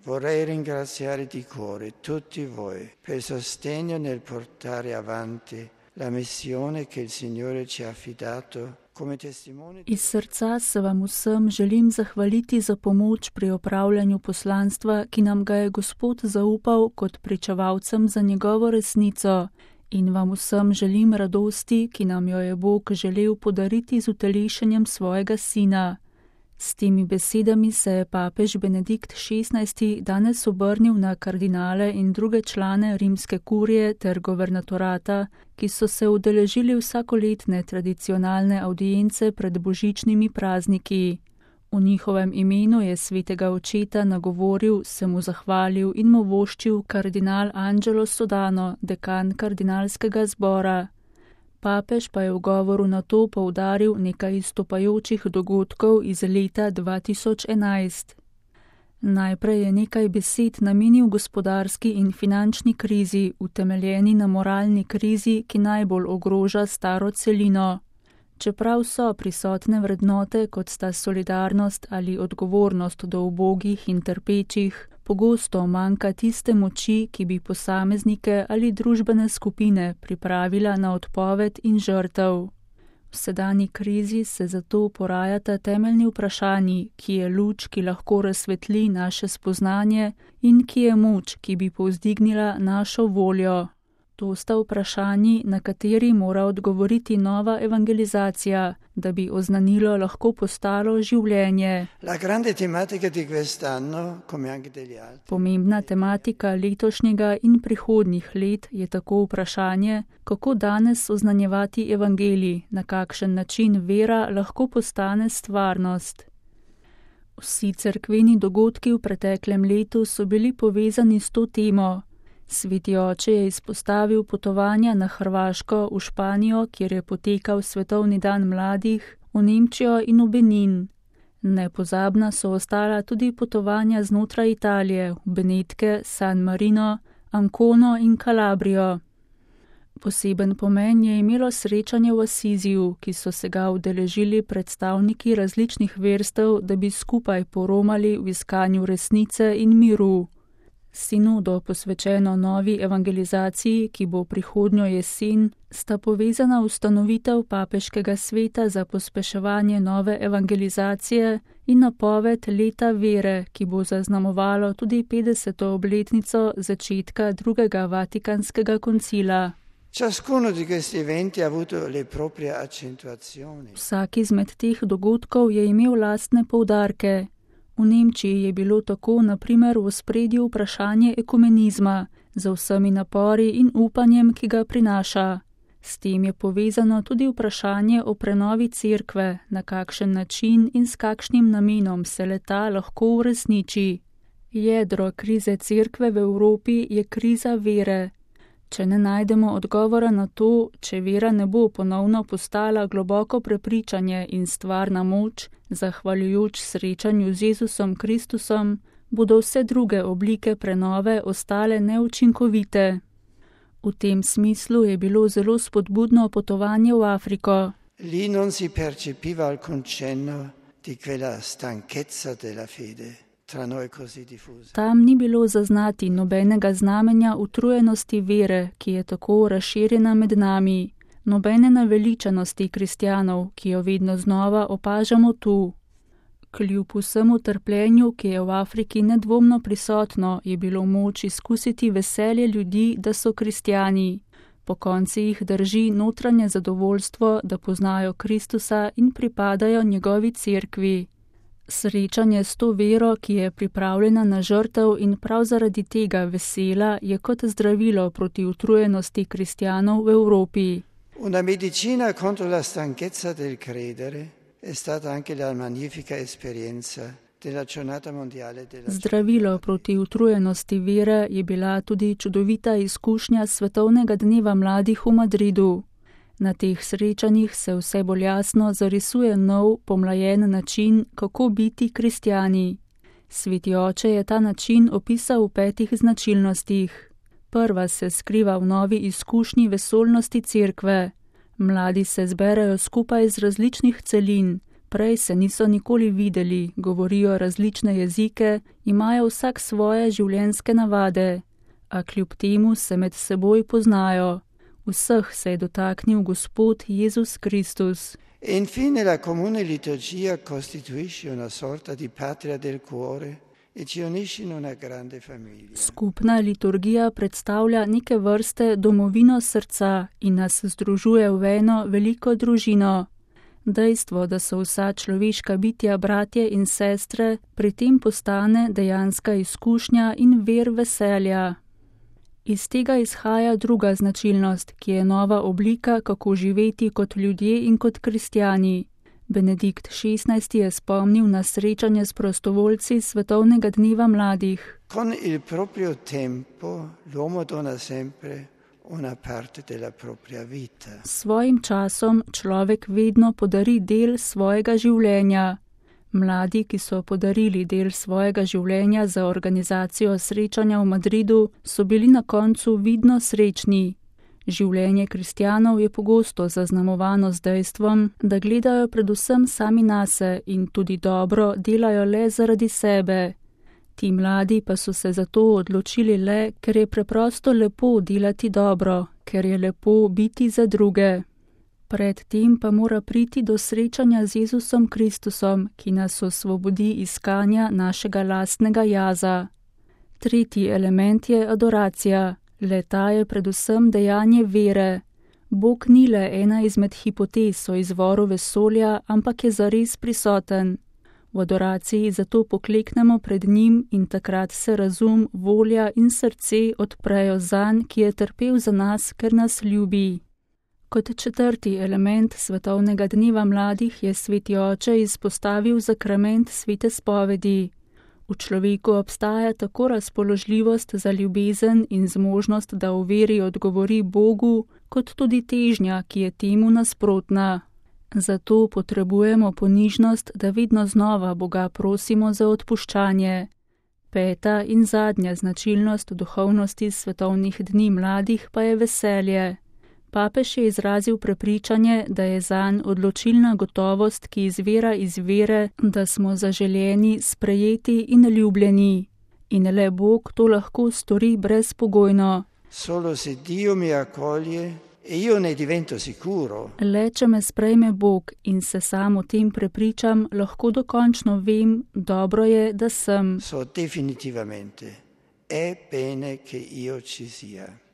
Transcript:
Vorrei ringraziare di cuore tutti voi per il sostegno nel portare avanti la missione che il Signore ci ha affidato come testimoni. Iz srca se vam vsem želim zahvaliti za pomoč pri opravljanju poslanstva, ki nam ga je Gospod zaupal kot pričevalcem za njegovo resnico, in vam vsem želim radosti, ki nam jo je Bog želel podariti z utelešenjem svojega Sina. S temi besedami se je papež Benedikt XVI danes obrnil na kardinale in druge člane rimske kurije ter guvernatorata, ki so se udeležili vsakoletne tradicionalne avdience pred božičnimi prazniki. V njihovem imenu je svetega očeta nagovoril, se mu zahvalil in mu voščil kardinal Angelo Sodano, dekan kardinalskega zbora. Papež pa je v govoru na to poudaril nekaj izstopajočih dogodkov iz leta 2011. Najprej je nekaj besed namenil gospodarski in finančni krizi, utemeljeni na moralni krizi, ki najbolj ogroža staro celino. Čeprav so prisotne vrednote, kot sta solidarnost ali odgovornost do ubogih in trpečih, pogosto manjka tiste moči, ki bi posameznike ali družbene skupine pripravila na odpoved in žrtev. V sedanji krizi se zato porajata temeljni vprašanji, ki je luč, ki lahko razsvetli naše spoznanje, in ki je moč, ki bi povzdignila našo voljo. To sta vprašanji, na kateri mora odgovoriti nova evangelizacija, da bi oznanilo lahko postalo življenje. Pomembna tematika letošnjega in prihodnjih let je tako vprašanje, kako danes oznanjevati evangelij, na kakšen način vera lahko postane stvarnost. Vsi cerkveni dogodki v preteklem letu so bili povezani s to temo. Sveti oče je izpostavil potovanja na Hrvaško, v Španijo, kjer je potekal Svetovni dan mladih, v Nemčijo in v Benin. Nepozabna so ostala tudi potovanja znotraj Italije, v Benetke, San Marino, Ancono in Calabrijo. Poseben pomen je imelo srečanje v Asiziju, ki so se ga udeležili predstavniki različnih verstev, da bi skupaj poromali v iskanju resnice in miru. Sinodo, posvečeno novi evangelizaciji, ki bo prihodnjo jesen, sta povezana ustanovitev papeškega sveta za pospeševanje nove evangelizacije in napoved leta vere, ki bo zaznamovalo tudi 50. obletnico začetka drugega Vatikanskega koncila. Vsak izmed teh dogodkov je imel lastne poudarke. V Nemčiji je bilo tako na primer v ospredju vprašanje ekumenizma, z vsemi napori in upanjem, ki ga prinaša. S tem je povezano tudi vprašanje o prenovi cerkve, na kakšen način in s kakšnim namenom se le-ta lahko uresniči. Jedro krize cerkve v Evropi je kriza vere. Če ne najdemo odgovora na to, če vera ne bo ponovno postala globoko prepričanje in stvarna moč, zahvaljujoč srečanju z Jezusom Kristusom, bodo vse druge oblike prenove ostale neučinkovite. V tem smislu je bilo zelo spodbudno potovanje v Afriko. Lì non si percepiva alcun cenno di quella stanchezza della fede. Tam ni bilo zaznati nobenega znamenja utrujenosti vere, ki je tako razširjena med nami, nobene naveličanosti kristjanov, ki jo vedno znova opažamo tu. Kljub vsemu trpljenju, ki je v Afriki nedvomno prisotno, je bilo moč izkusiti veselje ljudi, da so kristjani. Po konci jih drži notranje zadovoljstvo, da poznajo Kristusa in pripadajo njegovi cerkvi. Srečanje s to vero, ki je pripravljena na žrtev in prav zaradi tega vesela, je kot zdravilo proti utrujenosti kristjanov v Evropi. Una medicina contro la stanchezza del credere è stata anche la magnifica esperienza della giornata mondiale della. Zdravilo proti utrujenosti vere je bila tudi čudovita izkušnja svetovnega dneva mladih v Madridu. Na teh srečanjih se vse bolj jasno zarisuje nov, pomlajen način, kako biti kristjani. Sveti oče je ta način opisal v 5 značilnostih. Prva se skriva v novi izkušnji vesolnosti cerkve. Mladi se zberejo skupaj z različnih celin, Prej se niso nikoli videli, govorijo različne jezike, imajo vsak svoje življenjske navade, a kljub temu se med seboj poznajo. Vseh se je dotaknil Gospod Jezus Kristus. E infine la comune liturgia costituisce una sorta di patria del cuore e ci unisce in una grande famiglia. Skupna liturgija predstavlja neke vrste domovino srca in nas združuje v eno veliko družino. Dejstvo, da so vsa človeška bitja bratje in sestre, pri tem postane dejanska izkušnja in vir veselja. Iz tega izhaja druga značilnost, ki je nova oblika, kako živeti kot ljudje in kot kristjani. Benedikt XVI je spomnil na srečanje s prostovoljci Svetovnega dneva mladih. Con il proprio tempo l'uomo dona sempre una parte della propria vita. S svojim časom človek vedno podari del svojega življenja. Mladi, ki so podarili del svojega življenja za organizacijo srečanja v Madridu, so bili na koncu vidno srečni. Življenje kristjanov je pogosto zaznamovano z dejstvom, da gledajo predvsem sami nase in tudi dobro delajo le zaradi sebe. Ti mladi pa so se zato odločili le, ker je preprosto lepo delati dobro, ker je lepo biti za druge. Predtem pa mora priti do srečanja z Jezusom Kristusom, ki nas osvobodi iskanja našega lastnega jaza. Tretji element je adoracija. Le-ta je predvsem dejanje vere. Bog ni le ena izmed hipotez o izvoru vesolja, ampak je zares prisoten. V adoraciji zato pokleknemo pred njim in takrat se razum, volja in srce odprejo zanj, ki je trpel za nas, ker nas ljubi. Kot četrti element Svetovnega dneva mladih je Sveti Oče izpostavil sakrament svete spovedi. V človeku obstaja tako razpoložljivost za ljubezen in zmožnost, da v veri odgovori Bogu, kot tudi težnja, ki je temu nasprotna. Zato potrebujemo ponižnost, da vedno znova Boga prosimo za odpuščanje. Peta in zadnja značilnost duhovnosti svetovnih dni mladih pa je veselje. Papež je izrazil prepričanje, da je zanj odločilna gotovost, ki izvira iz vere, da smo zaželeni, sprejeti in ljubljeni. In le Bog to lahko stori brezpogojno. Solo se Dio mi accoglie e io ne divento sicuro. Le če me sprejme Bog in se sam o tem prepričam, lahko dokončno vem, dobro je, da sem. So definitivamente è bene che io ci sia.